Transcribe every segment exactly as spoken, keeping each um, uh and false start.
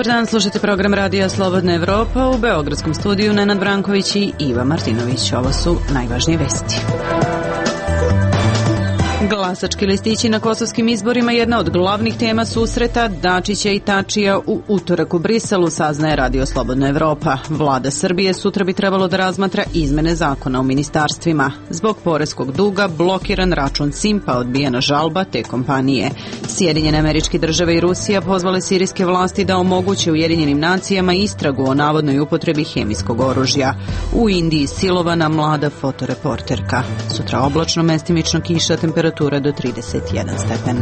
Dobar dan, slušajte program Radija Slobodna Evropa. U beogradskom studiju Nenad Branković i Iva Martinović. Ovo su najvažnije vesti. Glasački listići na kosovskim izborima jedna od glavnih tema susreta Dačića i Tačija u utorak u Briselu, saznaje Radio Slobodna Evropa. Vlada Srbije sutra bi trebalo da razmatra izmene zakona o ministarstvima. Zbog poreskog duga blokiran račun Simpa, odbijena žalba te kompanije. Sjedinjene Američke Države i Rusija pozvale sirijske vlasti da omoguće Ujedinjenim nacijama istragu o navodnoj upotrebi hemijskog oružja. U Indiji silovana mlada fotoreporterka. Sutra oblačno, mestimično kiša, temperatura do trideset jedan stepen.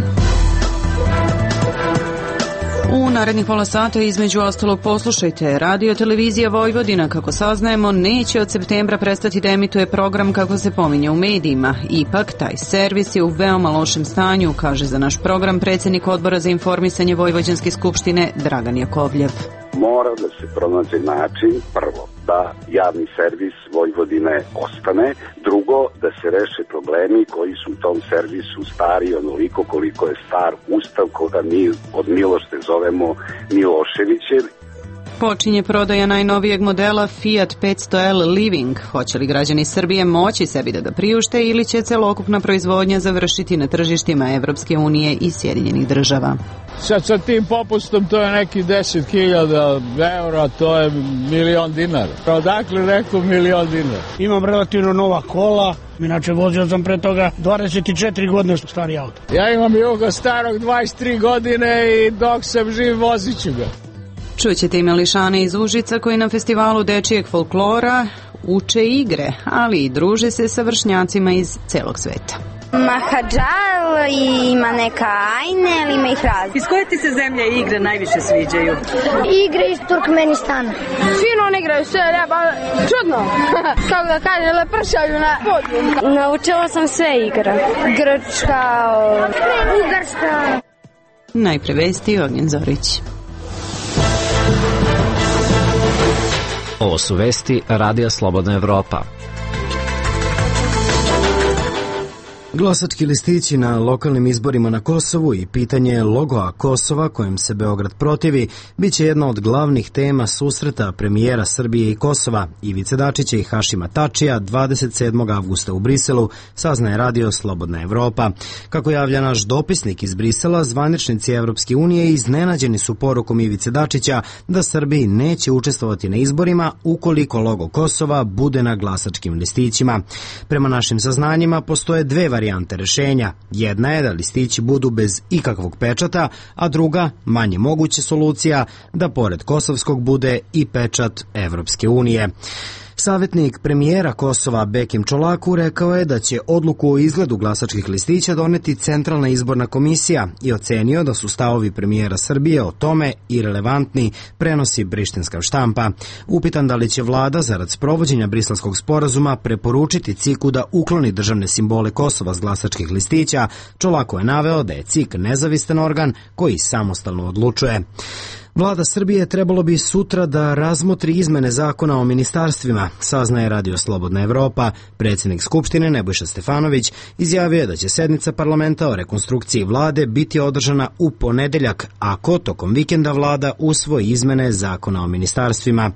U narednih pola sata između ostalog poslušajte. Radio televizija Vojvodina, kako saznajemo, neće od septembra prestati da emituje program kako se pominje u medijima. Ipak, taj servis je u veoma lošem stanju, kaže za naš program predsjednik Odbora za informisanje Vojvođanske skupštine Dragan Jakovljev. Mora da se pronađe način, prvo, da javni servis Vojvodine ostane, drugo, da se reše problemi koji su u tom servisu stari onoliko koliko je star Ustav koga mi od milošte zovemo Miloševićev. Počinje prodaja najnovijeg modela Fiat petsto L Living. Hoće li građani Srbije moći sebi da ga priušte ili će celokupna proizvodnja završiti na tržištima Evropske unije i Sjedinjenih država? Sad sa tim popustom to je neki deset hiljada eura, to je milion dinara. Odakle rekao milion dinara? Imam relativno nova kola, inače vozio sam pre toga dvadeset četiri godine stari auto. Ja imam Juga starog dvadeset tri godine i dok sam živ vozit ću ga. Čućete i mališane iz Užica koji na festivalu dečijeg folklora uče igre, ali i druže se sa vršnjacima iz celog sveta. Mahadžal i ima neka ajne, ali ima ih razli. Iz koje ti se zemlje igre najviše sviđaju? Igre iz Turkmenistana. Fino ne igraju sve, ba, čudno. Kako da kaže, lepršaju na podiju. Naučila sam sve igre. Grčka, Ugarska. Najpre vesti, Ognjen Zorić. Ovo su vesti Radija Slobodna Evropa. Glasački listići na lokalnim izborima na Kosovu i pitanje logoa Kosova kojem se Beograd protivi bit će jedna od glavnih tema susreta premijera Srbije i Kosova Ivice Dačića i Hašima Tačija dvadeset sedmog avgusta u Briselu, saznaje Radio Slobodna Evropa. Kako javlja naš dopisnik iz Brisela, zvaničnici Evropske unije iznenađeni su porukom Ivice Dačića da Srbiji neće učestvovati na izborima ukoliko logo Kosova bude na glasačkim listićima. Prema našim saznanjima postoje dve varijante varijante rešenja. Jedna je da listići budu bez ikakvog pečata, a druga, manje moguća solucija, da pored kosovskog bude i pečat Evropske unije. Savjetnik premijera Kosova Bekim Čolaku rekao je da će odluku o izgledu glasačkih listića doneti Centralna izborna komisija i ocenio da su stavovi premijera Srbije o tome irelevantni, prenosi brištinska štampa. Upitan da li će vlada zarad sprovođenja Briselskog sporazuma preporučiti C I K-u da ukloni državne simbole Kosova s glasačkih listića, Čolaku je naveo da je C I K nezavistan organ koji samostalno odlučuje. Vlada Srbije trebalo bi sutra da razmotri izmene zakona o ministarstvima, saznaje Radio Slobodna Evropa. Predsjednik Skupštine Nebojša Stefanović izjavio je da će sednica parlamenta o rekonstrukciji vlade biti održana u ponedeljak, ako tokom vikenda vlada usvoji izmene zakona o ministarstvima.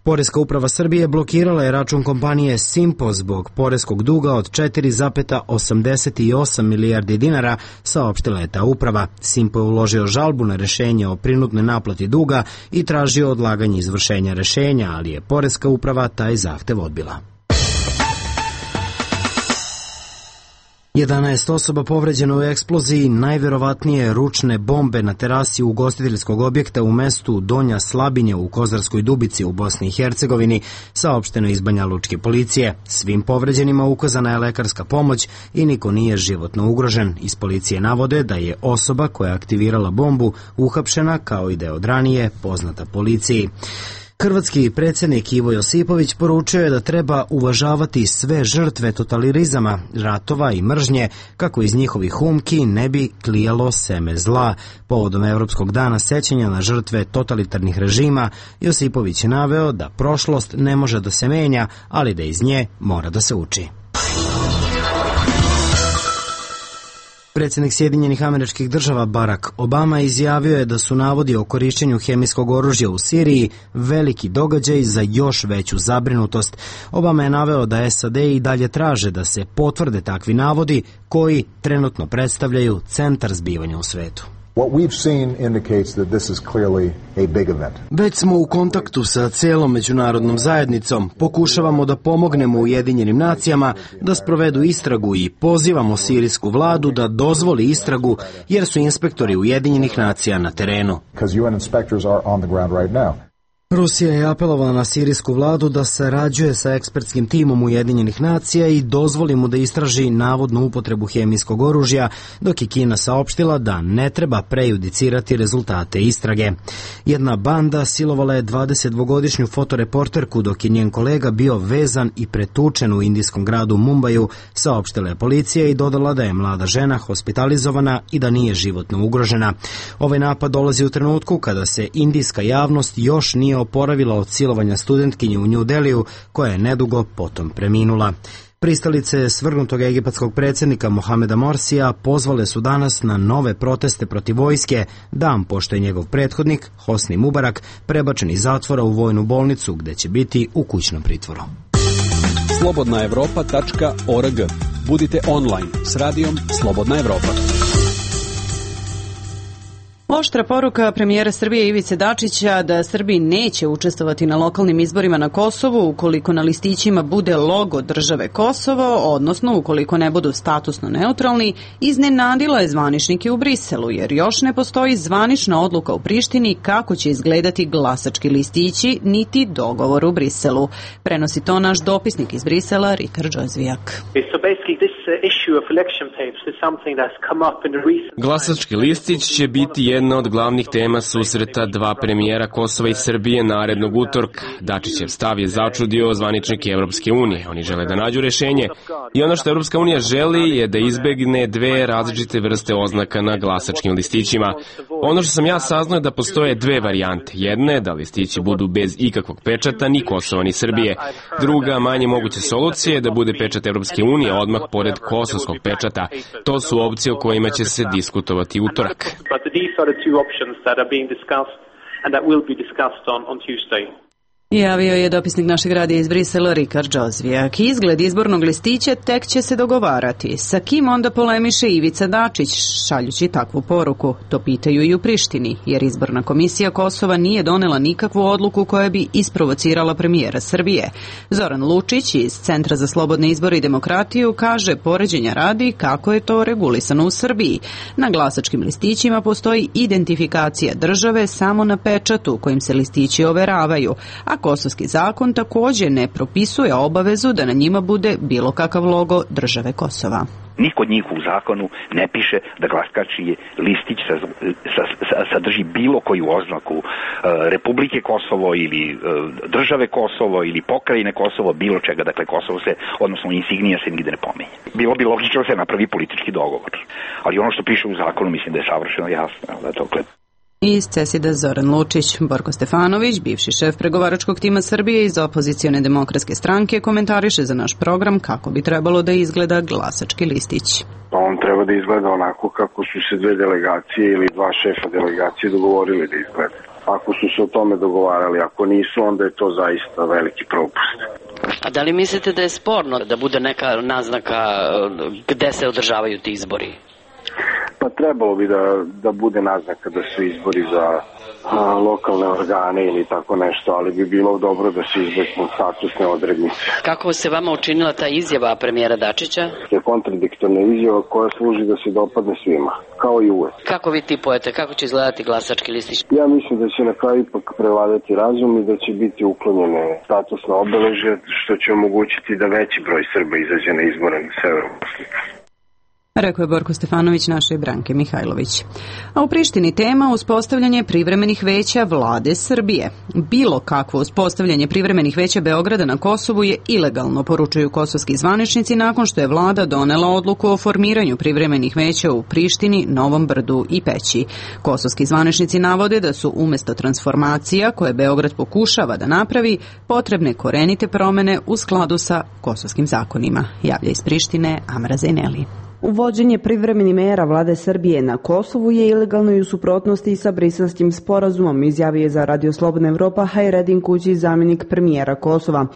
Poreska uprava Srbije blokirala je račun kompanije Simpo zbog poreskog duga od četiri zarez osamdeset osam milijardi dinara, saopštila je ta uprava. Simpo je uložio žalbu na rešenje o prinudnoj naplati duga i tražio odlaganje izvršenja rešenja, ali je Poreska uprava taj zahtev odbila. jedanaest osoba povređeno u eksploziji najverovatnije ručne bombe na terasi ugostiteljskog objekta u mestu Donja Slabinja u Kozarskoj Dubici u Bosni i Hercegovini, saopšteno iz Banja Lučke policije. Svim povređenima ukazana je lekarska pomoć i niko nije životno ugrožen. Iz policije navode da je osoba koja je aktivirala bombu uhapšena, kao i da je od ranije poznata policiji. Hrvatski predsjednik Ivo Josipović poručio je da treba uvažavati sve žrtve totalitarizama, ratova i mržnje, kako iz njihovih umki ne bi klijalo seme zla. Povodom Evropskog dana sećanja na žrtve totalitarnih režima, Josipović je naveo da prošlost ne može da se menja, ali da iz nje mora da se uči. Predsjednik Sjedinjenih Američkih Država Barack Obama izjavio je da su navodi o korišćenju hemijskog oružja u Siriji veliki događaj za još veću zabrinutost. Obama je naveo da S A D i dalje traže da se potvrde takvi navodi koji trenutno predstavljaju centar zbivanja u svetu. Već smo u kontaktu sa celom međunarodnom zajednicom, pokušavamo da pomognemo Ujedinjenim nacijama da sprovedu istragu i pozivamo sirijsku vladu da dozvoli istragu jer su inspektori Ujedinjenih nacija na terenu. Rusija je apelovala na sirijsku vladu da sarađuje sa ekspertskim timom Ujedinjenih nacija i dozvoli mu da istraži navodnu upotrebu hemijskog oružja, dok je Kina saopštila da ne treba prejudicirati rezultate istrage. Jedna banda silovala je dvadesetdvogodišnju fotoreporterku dok je njen kolega bio vezan i pretučen u indijskom gradu Mumbaju, saopštila je policija i dodala da je mlada žena hospitalizovana i da nije životno ugrožena. Ovaj napad dolazi u trenutku kada se indijska javnost još nije oporavila od silovanja studentkinje u New Deliju, koja je nedugo potom preminula. Pristalice svrgnutog egipatskog predsjednika Mohameda Morsija pozvale su danas na nove proteste protiv vojske, dan pošto je njegov prethodnik, Hosni Mubarak, prebačen iz zatvora u vojnu bolnicu gde će biti u kućnom pritvoru. slobodna evropa tačka org. Budite online s radijom Slobodna Evropa. Oštra poruka premijera Srbije Ivice Dačića da Srbi neće učestvovati na lokalnim izborima na Kosovu ukoliko na listićima bude logo države Kosovo, odnosno ukoliko ne budu statusno neutralni, iznenadila je zvaničnike u Briselu, jer još ne postoji zvanična odluka u Prištini kako će izgledati glasački listići, niti dogovor u Briselu. Prenosi to naš dopisnik iz Brisela, Rikard Džozvijak. Glasački listić će biti jedna od glavnih tema susreta dva premijera Kosova i Srbije narednog utorka. Dačićev stav je začudio zvaničnike Evropske unije. Oni žele da nađu rešenje i ono što Evropska unija želi je da izbegne dve različite vrste oznaka na glasačkim listićima. Ono što sam ja saznao je da postoje dve varijante. Jedna je da listići budu bez ikakvog pečata ni Kosova ni Srbije. Druga, manje moguća solucija je da bude pečat Evropske unije odmah pored kosovskog pečata. To su opcije o kojima će se diskutovati utorak. Javio je dopisnik našeg radija iz Brisela Rikard Džozvijak. Izgled izbornog listića tek će se dogovarati. Sa kim onda polemiše Ivica Dačić, šaljući takvu poruku? To pitaju i u Prištini, jer izborna komisija Kosova nije donela nikakvu odluku koja bi isprovocirala premijera Srbije. Zoran Lučić iz Centra za slobodne izbore i demokratiju kaže, poređenja radi, kako je to regulisano u Srbiji. Na glasačkim listićima postoji identifikacija države samo na pečatu kojim se listići overavaju, a kosovski zakon također ne propisuje obavezu da na njima bude bilo kakav logo države Kosova. Niko od njih u zakonu ne piše da glasački listić sa, sa, sa, sadrži bilo koju oznaku e, Republike Kosovo ili e, države Kosovo ili pokrajine Kosovo, bilo čega. Dakle, Kosovo se, odnosno insignija se nigde ne pomenje. Bilo bi logično da se napravi politički dogovor. Ali ono što piše u zakonu mislim da je savršeno jasno. Da je to klep. Iz CESID-a Zoran Lučić. Borko Stefanović, bivši šef pregovaračkog tima Srbije iz opozicione demokratske stranke, komentariše za naš program kako bi trebalo da izgleda glasački listić. Pa on treba da izgleda onako kako su se dve delegacije ili dva šefa delegacije dogovorili da izgleda. Ako su se o tome dogovarali, ako nisu, onda je to zaista veliki propust. A da li mislite da je sporno da bude neka naznaka gde se održavaju ti izbori? Pa trebalo bi da, da bude naznaka da su izbori za a, lokalne organe ili tako nešto, ali bi bilo dobro da se izbegnu statusne odrednice. Kako se vama učinila ta izjava premijera Dačića? To je kontradiktorna izjava koja služi da se dopadne svima, kao i uvek. Kako vi tipujete, kako će izgledati glasački listić? Ja mislim da će na kraju ipak prevladati razum i da će biti uklonjene statusne obeležje, što će omogućiti da veći broj Srba izađe na izbore na severu Bosne. Rekao je Borko Stefanović našoj Branke Mihajlović. A u Prištini tema uspostavljanje privremenih veća vlade Srbije. Bilo kakvo uspostavljanje privremenih veća Beograda na Kosovu je ilegalno, poručuju kosovski zvaničnici nakon što je vlada donela odluku o formiranju privremenih veća u Prištini, Novom Brdu i Peći. Kosovski zvaničnici navode da su umesto transformacija koje Beograd pokušava da napravi potrebne korenite promene u skladu sa kosovskim zakonima. Javlja iz Prištine Amra Zejneli. Uvođenje privremenih mera vlade Srbije na Kosovu je ilegalno i u suprotnosti sa Briselskim sporazumom, izjavio je za Radio Slobodna Evropa Hajredin Kući, zamjenik premijera Kosova.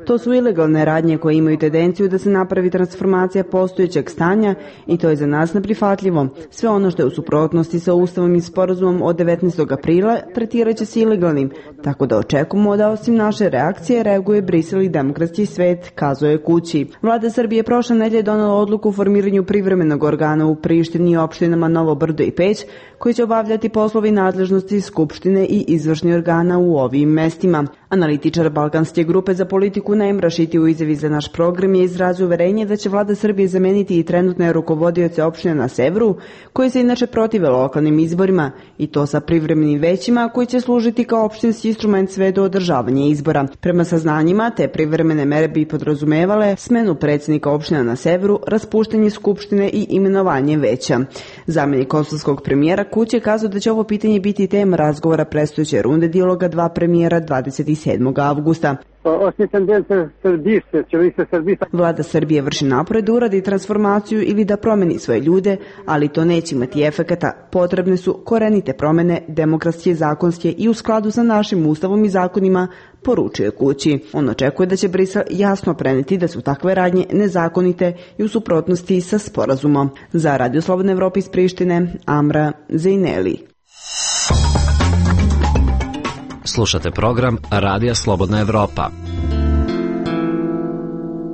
To su ilegalne radnje koje imaju tendenciju da se napravi transformacija postojećeg stanja i to je za nas neprihvatljivo. Sve ono što je u suprotnosti sa Ustavom i sporazumom od devetnaestog aprila tretirat će se ilegalnim, tako da očekujemo da osim naše reakcije reaguje Brisel i demokratski svet, kazao je Kući. Vlada Srbije prošle nedelje donela odluku o formiranju privremenog organa u Prištini i opštinama Novo Brdo i Peć, koji će obavljati poslovi nadležnosti Skupštine i izvršni organa u ovim mestima. Analitičar Balkanske grupe za politiku Naim Rašiti u izjavi za naš program je izrazio uverenje da će vlada Srbije zameniti i trenutne rukovodioce opštine na severu, koji se inače protive lokalnim izborima, i to sa privremenim većima koji će služiti kao opštinski instrument sve do održavanja izbora. Prema saznanjima, te privremene mere bi podrazumevale smenu predsjednika opština na severu, raspuštanje Skupštine i imenovanje veća. Zamjenik kosovskog premijera Kući je kazao da će ovo pitanje biti tema razgovora predstojeće runde dijaloga dva premijera dvadeset sedmog avgusta. Vlada Srbije vrši napore da uradi transformaciju ili da promeni svoje ljude, ali to neće imati efekata. Potrebne su korenite promene, demokratske, zakonske i u skladu sa našim ustavom i zakonima, poručuje Kući. On očekuje da će Brisel jasno preneti da su takve radnje nezakonite i u suprotnosti sa sporazumom. Za Radio Slobodna Evropa iz Prištine, Amra Zejneli. Slušate program Radija Slobodna Evropa.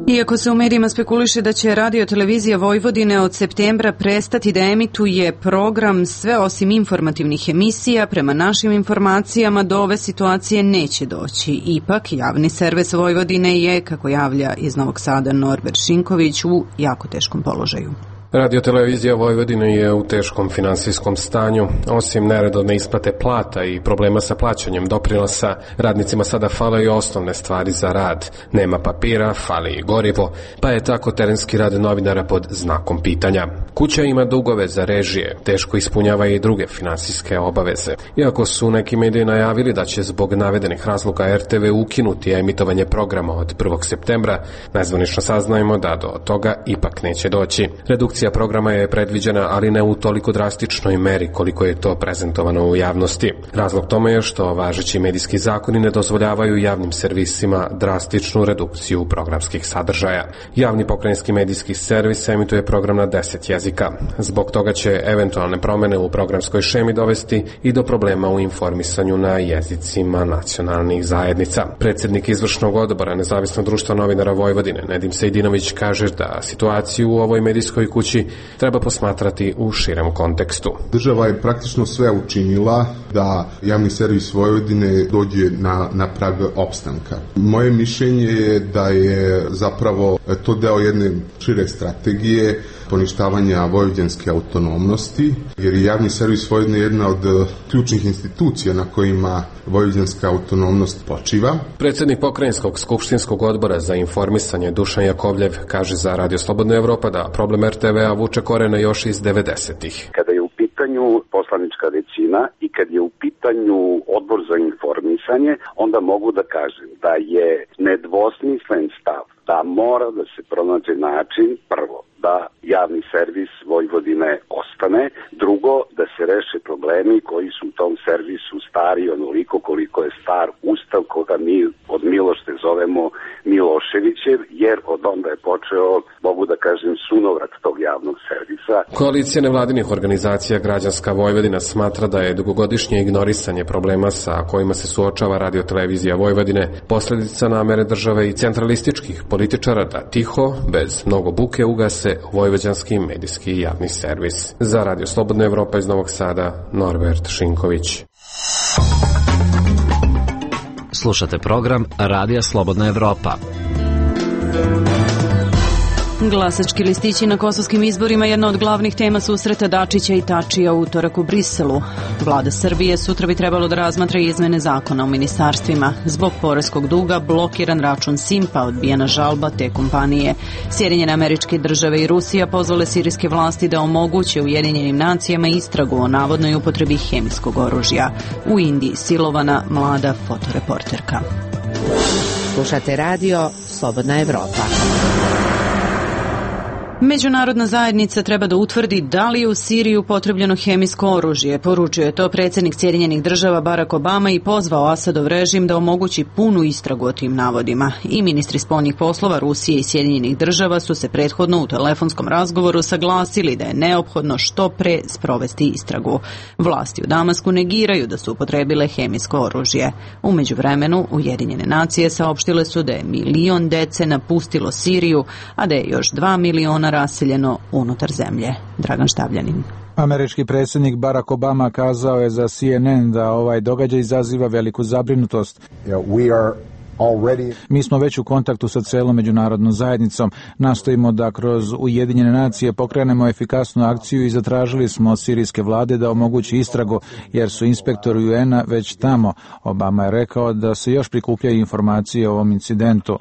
Iako se u medijima spekuliše da će Radio Televizija Vojvodine od septembra prestati da emituje program sve osim informativnih emisija, prema našim informacijama do ove situacije neće doći. Ipak, javni servis Vojvodine je, kako javlja iz Novog Sada Norbert Šinković, u jako teškom položaju. Radio-televizija Vojvodine je u teškom finansijskom stanju. Osim neredovne isplate plata i problema sa plaćanjem doprinosa, radnicima sada fale i osnovne stvari za rad. Nema papira, fali i gorivo, pa je tako terenski rad novinara pod znakom pitanja. Kuća ima dugove za režije, teško ispunjava i druge finansijske obaveze. Iako su neki mediji najavili da će zbog navedenih razloga er te ve ukinuti emitovanje programa od prvog septembra, nezvanično saznajemo da do toga ipak neće doći. Redukcija programa je predviđena, ali ne u toliko drastičnoj meri koliko je to prezentovano u javnosti. Razlog tome je što važeći medijski zakoni ne dozvoljavaju javnim servisima drastičnu redukciju programskih sadržaja. Javni pokrajinski medijski servis emituje program na deset jezika. Zbog toga će eventualne promene u programskoj šemi dovesti i do problema u informisanju na jezicima nacionalnih zajednica. Predsjednik izvršnog odbora Nezavisnog društva novinara Vojvodine, Nedim Sejdinović, kaže da situaciju u ovoj medijskoj kući treba posmatrati u širem kontekstu. Država je praktično sve učinila da javni servis Vojvodine dođe na, na prag opstanka. Moje mišljenje je da je zapravo to deo jedne šire strategije poništavanja vojvođanske autonomnosti, jer je javni servis Vojvodine jedna od ključnih institucija na kojima vojvođanska autonomnost počiva. Predsjednik pokrajinskog skupštinskog odbora za informisanje Dušan Jakovljev kaže za Radio Slobodna Evropa da problem er te vea vuče korene još iz devedesetih. Kada je u pitanju poslanička većina i kad je u pitanju odbor za informisanje, onda mogu da kažem da je nedvosmislen stav da mora da se pronađe način, prvo, da javni servis Vojvodine ostane, drugo, da se reše problemi koji su u tom servisu stari onoliko koliko je star ustav koga mi od Milošte zovemo Miloševićev, jer od onda je počeo, mogu da kažem, sunovrat tog javnog servisa. Koalicija nevladinih organizacija Građanska Vojvodina smatra da je dugogodišnje ignorisanje problema sa kojima se suočava Radio-televizija Vojvodine posledica namere države i centralističkih političara da tiho, bez mnogo buke, ugase vojvođanski medijski javni servis. Za Radio Slobodna Evropa iz Novog Sada, Norbert Šinković. Slušate program Radija Slobodna Evropa. Glasački listići na kosovskim izborima jedna od glavnih tema susreta Dačića i Tačija u utorak u Briselu. Vlada Srbije sutra bi trebalo da razmatra izmene zakona o ministarstvima. Zbog poreskog duga blokiran račun Simpa, odbijena žalba te kompanije. Sjedinjene Američke Države i Rusija pozvale sirijske vlasti da omoguće Ujedinjenim nacijama istragu o navodnoj upotrebi hemijskog oružja. U Indiji silovana mlada fotoreporterka. Slušate radio Slobodna Evropa. Međunarodna zajednica treba da utvrdi da li je u Siriji upotrebljeno hemijsko oružje. Poručio je to predsjednik Sjedinjenih država Barack Obama i pozvao Asadov režim da omogući punu istragu o tim navodima. I ministri spoljnih poslova Rusije i Sjedinjenih država su se prethodno u telefonskom razgovoru saglasili da je neophodno što pre sprovesti istragu. Vlasti u Damasku negiraju da su upotrebile hemijsko oružje. U međuvremenu Ujedinjene nacije saopštile su da je milion dece napustilo Siriju, a da je još dva miliona raseljeno unutar zemlje. Dragan Štavljanin. Američki predsjednik Barack Obama kazao je za C N N da ovaj događaj izaziva veliku zabrinutost. Mi smo već u kontaktu sa celom međunarodnom zajednicom. Nastojimo da kroz Ujedinjene nacije pokrenemo efikasnu akciju i zatražili smo od sirijske vlade da omogući istragu, jer su inspektori U N-a već tamo. Obama je rekao da se još prikupljaju informacije o ovom incidentu.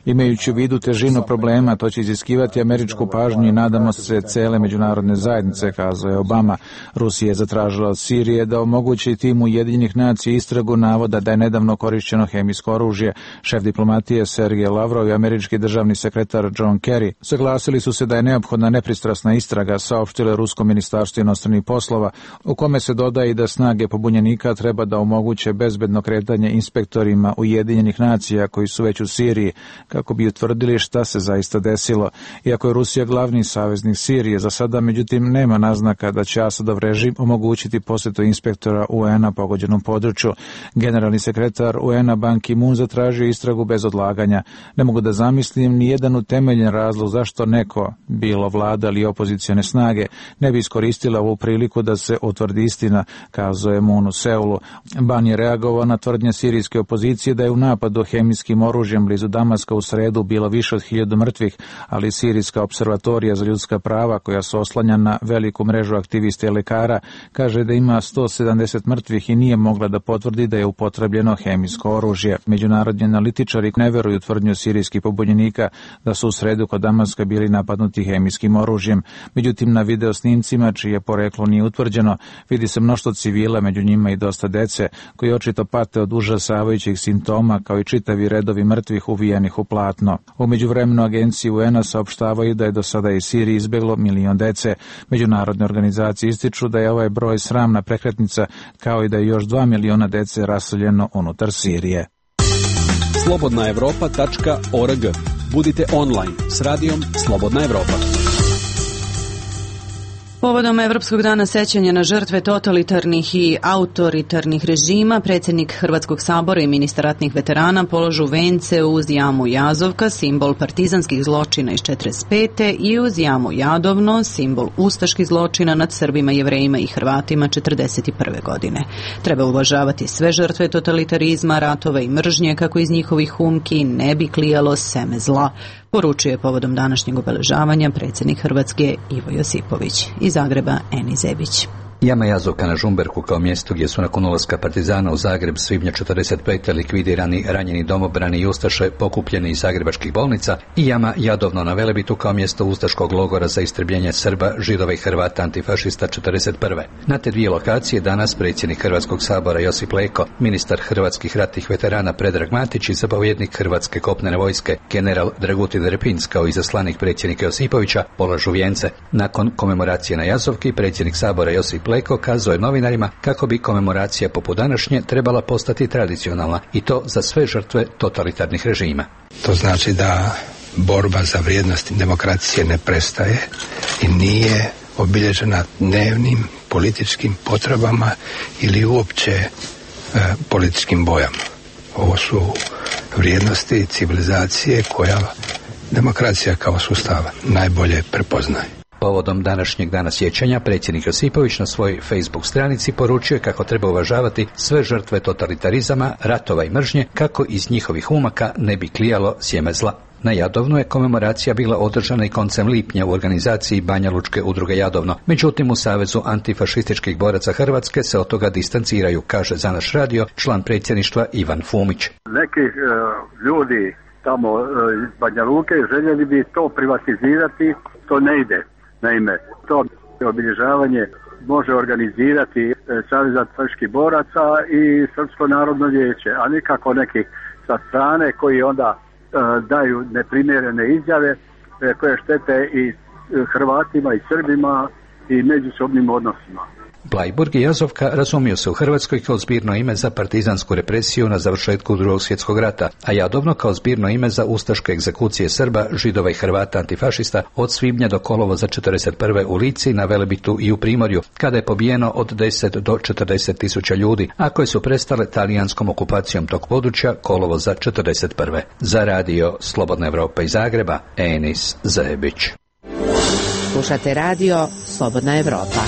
Imajući u vidu težinu problema, to će iziskivati američku pažnju i nadamo se cele međunarodne zajednice, kazao je Obama. Rusija je zatražila od Sirije da omogući timu Ujedinjenih nacija istragu navoda da je nedavno korišćeno hemijsko oružje. Šef diplomatije Sergej Lavrov i američki državni sekretar John Kerry saglasili su se da je neophodna nepristrasna istraga, saopštilo Rusko ministarstvo inostranih poslova, u kome se dodaje i da snage pobunjenika treba da omoguće bezbedno kretanje inspektorima Ujedinjenih nacija koji su već u Siriji, kako bi utvrdili šta se zaista desilo. Iako je Rusija glavni saveznik Sirije, za sada međutim nema naznaka da će Asadov režim omogućiti posjetu inspektora U N-a pogođenom području. Generalni sekretar U N-a Ban Ki-moon zatražio istragu bez odlaganja. Ne mogu da zamislim ni jedan utemeljen razlog zašto neko, bilo vlada ili opozicione snage, ne bi iskoristila ovu priliku da se utvrdi istina, kazao je Moon u Seulu. Ban je reagovao na tvrdnje sirijske opozicije da je u napadu hemijskim oružjem blizu Damaska u sredu bilo više od hiljadu mrtvih, ali Sirijska observatorija za ljudska prava, koja se oslanja na veliku mrežu aktivista i lekara, kaže da ima sto sedamdeset mrtvih i nije mogla da potvrdi da je upotrebljeno hemijsko oružje. Međunarodni analitičari ne veruju tvrdnju sirijskih pobunjenika da su u sredu kod Damaska bili napadnuti hemijskim oružjem. Međutim, na video snimcima, čije poreklo nije utvrđeno, vidi se mnoštvo civila, među njima i dosta dece, koji očito pate od užasavajućih simptoma, kao i čitavi redovi mrtvih uvijenih u platno. U međuvremenu agencije U N-a saopštavaju da je do sada iz Sirije izbeglo milion dece. Međunarodne organizacije ističu da je ovaj broj sramna prekretnica, kao i da je još dva miliona dece raseljeno unutar Sirije. slobodna evropa tačka org. Budite online s radijom Slobodna Evropa. Povodom Evropskog dana sećanja na žrtve totalitarnih i autoritarnih režima, predsjednik Hrvatskog sabora i ministar ratnih veterana polažu vence uz jamu Jazovka, simbol partizanskih zločina iz četrdeset pete i uz jamu Jadovno, simbol ustaških zločina nad Srbima, Jevrejima i Hrvatima četrdeset prve godine. Treba uvažavati sve žrtve totalitarizma, ratova i mržnje kako iz njihovih humki ne bi klijalo seme zla, poručuje je povodom današnjeg obeležavanja predsjednik Hrvatske Ivo Josipović. Iz Zagreba Eni Zebić. Jama Jazovka na Žumberku kao mjestu gdje su nakon ulaska partizana u Zagreb svibnja četrdeset pete likvidirani ranjeni domobrani i ustaše pokupljeni iz zagrebačkih bolnica i jama Jadovno na Velebitu kao mjesto ustaškog logora za istrebljenje Srba, Židova i Hrvata antifašista četrdeset prve. Na te dvije lokacije danas predsjednik Hrvatskog sabora Josip Leko, ministar hrvatskih ratnih veterana Predrag Matić i zapovjednik Hrvatske kopnene vojske general Dragutin Repinc kao izaslanik predsjednika Josipovića polažu vijence. Nakon komemoracije na Jazovki predsjednik sabora Josip Leko kazao je novinarima kako bi komemoracija poput današnje trebala postati tradicionalna i to za sve žrtve totalitarnih režima. To znači da borba za vrijednosti demokracije ne prestaje i nije obilježena dnevnim političkim potrebama ili uopće e, političkim bojama. Ovo su vrijednosti civilizacije koja demokracija kao sustav najbolje prepoznaje. Povodom današnjeg dana sjećanja predsjednik Josipović na svojoj Facebook stranici poručuje kako treba uvažavati sve žrtve totalitarizama, ratova i mržnje kako iz njihovih umaka ne bi klijalo sjeme zla. Na Jadovnu je komemoracija bila održana i koncem lipnja u organizaciji Banja Lučke udruge Jadovno. Međutim, u Savezu antifašističkih boraca Hrvatske se od toga distanciraju, kaže za naš radio član predsjedništva Ivan Fumić. Neki uh, ljudi tamo uh, iz Banja Luke željeli bi to privatizirati, to ne ide. Naime, to obilježavanje može organizirati uh, Savez antifašističkih boraca i Srpsko narodno vijeće, a nikako neki sa strane koji onda daju neprimjerene izjave koje štete i Hrvatima i Srbima i međusobnim odnosima. Blajburg i Jazovka razumiju se u Hrvatskoj kao zbirno ime za partizansku represiju na završetku Drugog svjetskog rata, a Jadovno kao zbirno ime za ustaške egzekucije Srba, Židova i Hrvata antifašista od svibnja do kolovoza četrdeset prve u Lici, na Velebitu i u Primorju, kada je pobijeno od deset do četrdeset tisuća ljudi, a koje su prestale talijanskom okupacijom tog područja kolovoza četrdeset prve. Za radio Slobodna Evropa iz Zagreba, Enis Zajebić. Slušate radio Slobodna Evropa.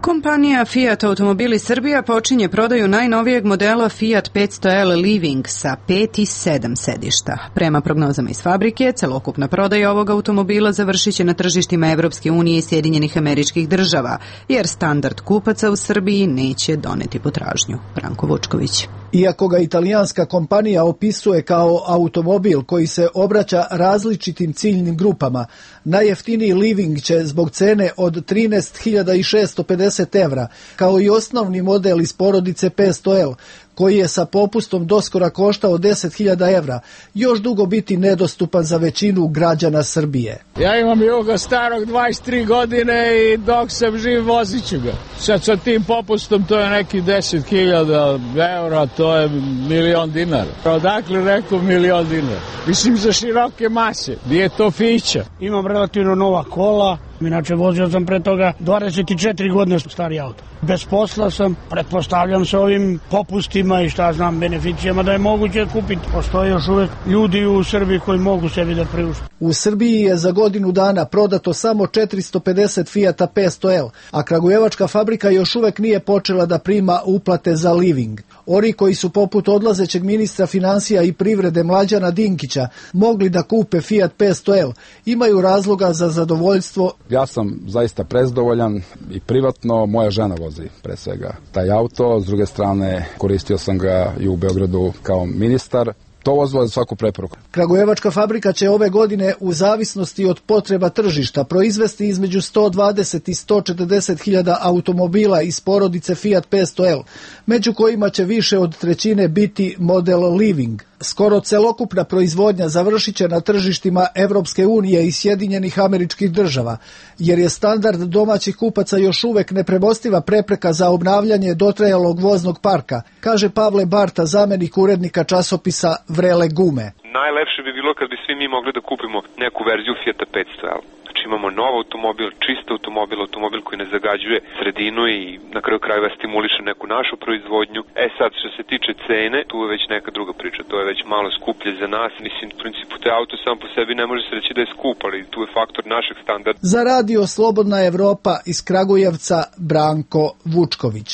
Kompanija Fiat Automobili Srbija počinje prodaju najnovijeg modela Fiat petsto L Living sa pet i sedam sedišta. Prema prognozama iz fabrike, celokupna prodaja ovog automobila završit će na tržištima Evropske unije i Sjedinjenih Američkih Država, jer standard kupaca u Srbiji neće doneti potražnju. Branko Vučković. Iako ga italijanska kompanija opisuje kao automobil koji se obraća različitim ciljnim grupama, najjeftiniji Living će zbog cene od trinaest hiljada šesto pedeset evra, kao i osnovni model iz porodice petsto L, koji je sa popustom doskora koštao deset hiljada evra, još dugo biti nedostupan za većinu građana Srbije. Ja imam Juga starog dvadeset tri godine i dok sam živ vozit ću ga. Sad sa tim popustom to je neki deset hiljada evra, to je milion dinara. Odakle rekao milion dinara? Mislim za široke mase, gdje je to fića? Imam relativno nova kola, inače vozio sam pre toga dvadeset četiri godine stari auto. Bez posla sam, pretpostavljam sa ovim popustima i šta znam, beneficijama da je moguće kupiti. Postoje još uvek ljudi u Srbiji koji mogu sebi da priušte. U Srbiji je za godinu dana prodato samo četiristo pedeset Fiata petsto L, a kragujevačka fabrika još uvek nije počela da prima uplate za Living. Oni koji su poput odlazećeg ministra financija i privrede Mlađana Dinkića mogli da kupe Fiat petsto L, imaju razloga za zadovoljstvo. Ja sam zaista prezdovoljan i privatno, moja žena vozi pre svega taj auto, s druge strane koristio sam ga i u Beogradu kao ministar. To vozilo je za svaku preporuku. Kragujevačka fabrika će ove godine u zavisnosti od potreba tržišta proizvesti između sto dvadeset i sto četrdeset hiljada automobila iz porodice Fiat petsto L, među kojima će više od trećine biti model Living. Skoro celokupna proizvodnja završit će na tržištima Evropske unije i Sjedinjenih Američkih Država, jer je standard domaćih kupaca još uvek nepremostiva prepreka za obnavljanje dotrajalog voznog parka, kaže Pavle Barta, zamenik urednika časopisa Vrele gume. Najlepše bi bilo kad bi svi mi mogli da kupimo neku verziju Fiata petsto L. Znači imamo nov automobil, čist automobil, automobil koji ne zagađuje sredinu i na kraju krajeva stimuliše neku našu proizvodnju. E sad, što se tiče cene, tu je već neka druga priča, to je već malo skuplje za nas. Mislim, u principu te auto sam po sebi ne može se reći da je skup, ali tu je faktor našeg standarda. Za radio Slobodna Evropa iz Kragujevca, Branko Vučković.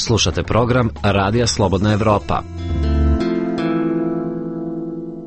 Slušate program Radija Slobodna Evropa.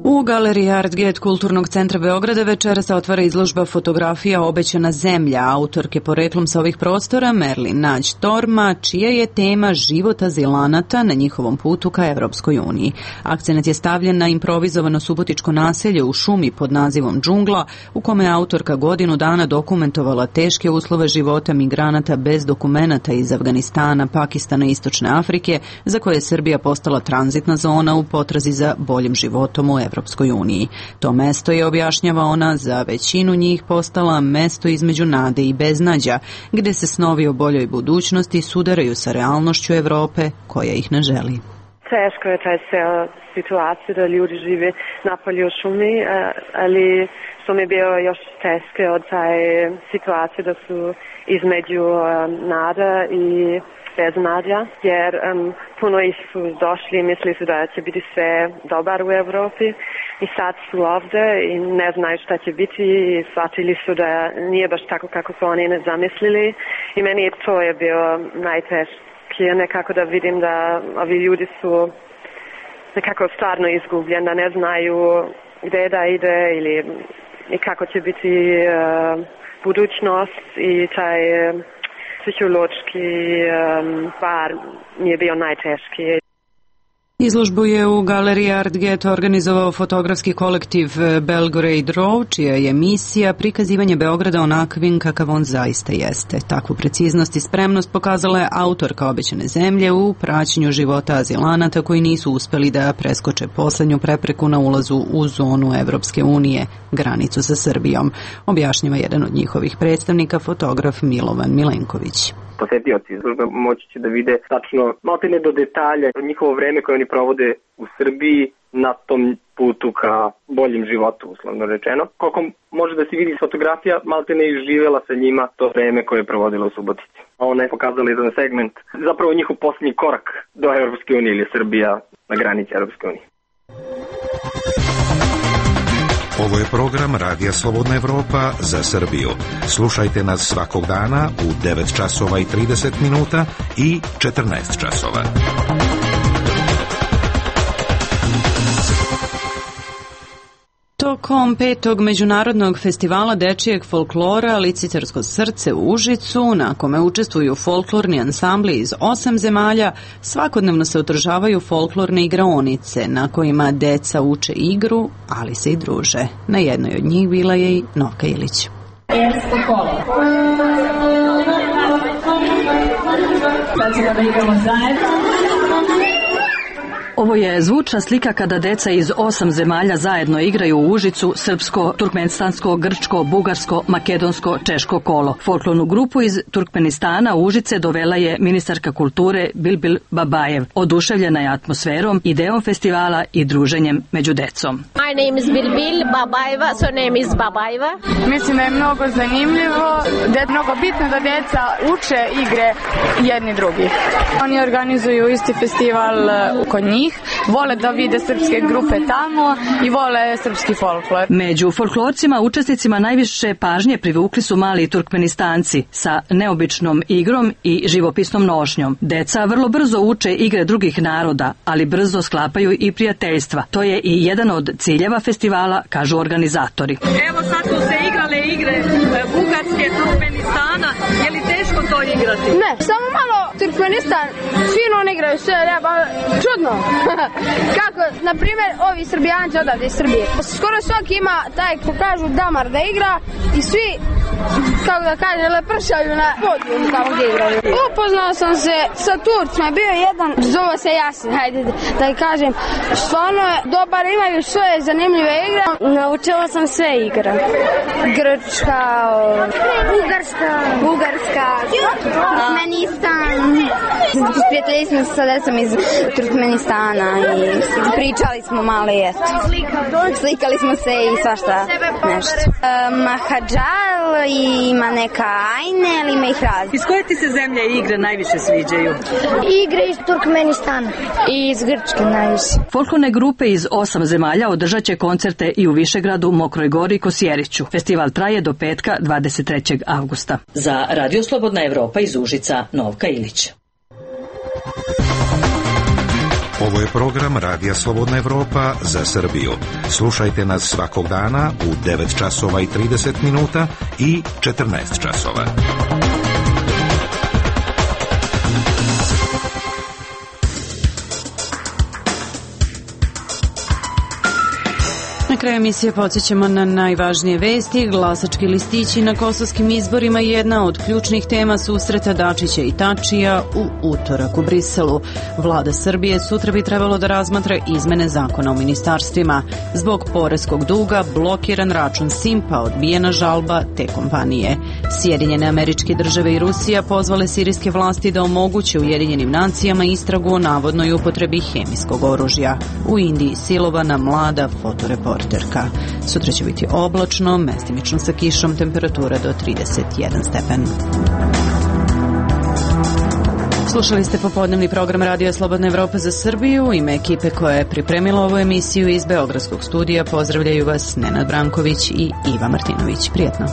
U galeriji Artget Kulturnog centra Beograda večeras se otvara izložba fotografija Obećana zemlja, autorke poreklom sa ovih prostora Merlin Nađ Torma, čija je tema život azilanata na njihovom putu ka Evropskoj uniji. Akcenat je stavljen na improvizovano subotičko naselje u šumi pod nazivom Džungla, u kome je autorka godinu dana dokumentovala teške uslove života migranata bez dokumenata iz Afganistana, Pakistana i Istočne Afrike, za koje je Srbija postala tranzitna zona u potrazi za boljim životom u Evropskoj uniji. To mesto je, objašnjava ona, za većinu njih postala mesto između nade i beznađa, gde se snovi o boljoj budućnosti sudaraju sa realnošću Evrope koja ih ne želi. Teško je taj ceo situacija da ljudi žive napolje u šumi, ali što mi je bio još teške od taj situacije da su između nada i beznadja, jer um, puno ih su došli i mislili su da će biti sve dobar u Evropi i sad su ovde i ne znaju šta će biti i shvatili su da nije baš tako kako su oni ne zamislili i meni to je bilo najtežije, nekako da vidim da ovi ljudi su nekako stvarno izgubljeni, da ne znaju gde da ide ili i kako će biti uh, budućnost i taj uh, psihološki um, par mi je bio najteški. Izložbu je u galeriji Art Get organizovao fotografski kolektiv Belgrade Row, čija je misija prikazivanje Beograda onakvim kakav on zaista jeste. Takvu preciznost i spremnost pokazala je autorka Obećane zemlje u praćenju života azilanata koji nisu uspeli da preskoče poslednju prepreku na ulazu u zonu Evropske unije, granicu sa Srbijom, objašnjava jedan od njihovih predstavnika, fotograf Milovan Milenković. Posetioci izložbe moći će da vide tačno maltene do detalja njihovo vreme koje oni provode u Srbiji na tom putu ka boljem životu, uslovno rečeno. Koliko može da se vidi s fotografija, maltene je živela sa njima to vreme koje je provodila u Subotici. Ona je pokazala jedan segment, zapravo njihov posljednji korak do Evropske unije ili Srbija na granici Evropske unije. Ovo je program Radija Slobodna Evropa za Srbiju. Slušajte nas svakog dana u devet časova i trideset minuta i četrnaest časova. Tokom petog međunarodnog festivala dečijeg folklora Licitarsko srce u Užicu, na kome učestvuju folklorni ansambli iz osam zemalja, svakodnevno se održavaju folklorne igraonice na kojima deca uče igru, ali se i druže. Na jednoj od njih bila je i Novka Ilić. Ersko kolo. Sad ćemo da igramo zajedno. Ovo je zvučna slika kada deca iz osam zemalja zajedno igraju u Užicu srpsko, turkmenistansko, grčko, bugarsko, makedonsko, češko kolo. Folklornu grupu iz Turkmenistana u Užice dovela je ministarka kulture Bilbil Babajev. Oduševljena je atmosferom, ideom festivala i druženjem među decom. My name is Bilbil Babajeva, so name is Babajeva. Mislim da je mnogo zanimljivo, da je mnogo bitno da deca uče igre jedni drugi. Oni organizuju isti festival kod njih. Vole da vide srpske grupe tamo i vole srpski folklor. Među folklorcima učesnicima najviše pažnje privukli su mali Turkmenistanci sa neobičnom igrom i živopisnom nošnjom. Deca vrlo brzo uče igre drugih naroda, ali brzo sklapaju i prijateljstva. To je i jedan od ciljeva festivala, kažu organizatori. Evo sad su se igrale igre Bugarske, Turkmenistana. Je li teško to igrati? Ne, samo malo Turkmenistan, fino on igraju sve, reba, čudno. Kako, na primjer, ovi Srbijanci odavde iz Srbije. Skoro svaki ima taj, ko kažu, damar da igra i svi, kako da kažem, lepršaju na podijum tamo gdje igraju. Upoznao sam se sa Turcima, bio je jedan, zove se Jasin, hajde da kažem, stvarno je dobar, imaju svoje zanimljive igre. Naučila sam sve igre. Grčka, Bugarska, Bugarska, Turkmenistan. Sprijatelji smo se sa decom iz Turkmenistana i pričali smo malo i eto. Slikali smo se i svašta nešto. Mahadžal i ima neka ajne, ali ima ih razne. Iz koje ti se zemlje igre najviše sviđaju? Igre iz Turkmenistana i iz Grčke najviše. Folklorne grupe iz osam zemalja održat će koncerte i u Višegradu, Mokroj Gori i Kosjeriću. Festival traje do petka dvadeset trećeg avgusta. Za Radio Slobodna Evropa iz Užica, Novka Ilić. Ovo je program Radija Slobodna Evropa za Srbiju. Slušajte nas svakog dana u devet časova i trideset minuta i četrnaest časova. Na kraju emisije podsjećamo na najvažnije vesti. Glasački listići na kosovskim izborima je jedna od ključnih tema susreta Dačića i Tačija u utorak u Briselu. Vlada Srbije sutra bi trebalo da razmatra izmene zakona o ministarstvima. Zbog poreskog duga blokiran račun Simpa, odbijena žalba te kompanije. Sjedinjene Američke Države i Rusija pozvale sirijske vlasti da omoguće Ujedinjenim nacijama istragu o navodnoj upotrebi hemijskog oružja. U Indiji silovana mlada fotoreporterka. Sutra će biti oblačno, mestimično sa kišom, temperatura do trideset jedan stepen. Slušali ste popodnevni program Radija Slobodna Evropa za Srbiju. U ime ekipe koja je pripremila ovu emisiju iz Beogradskog studija pozdravljaju vas Nenad Branković i Iva Martinović. Prijetno.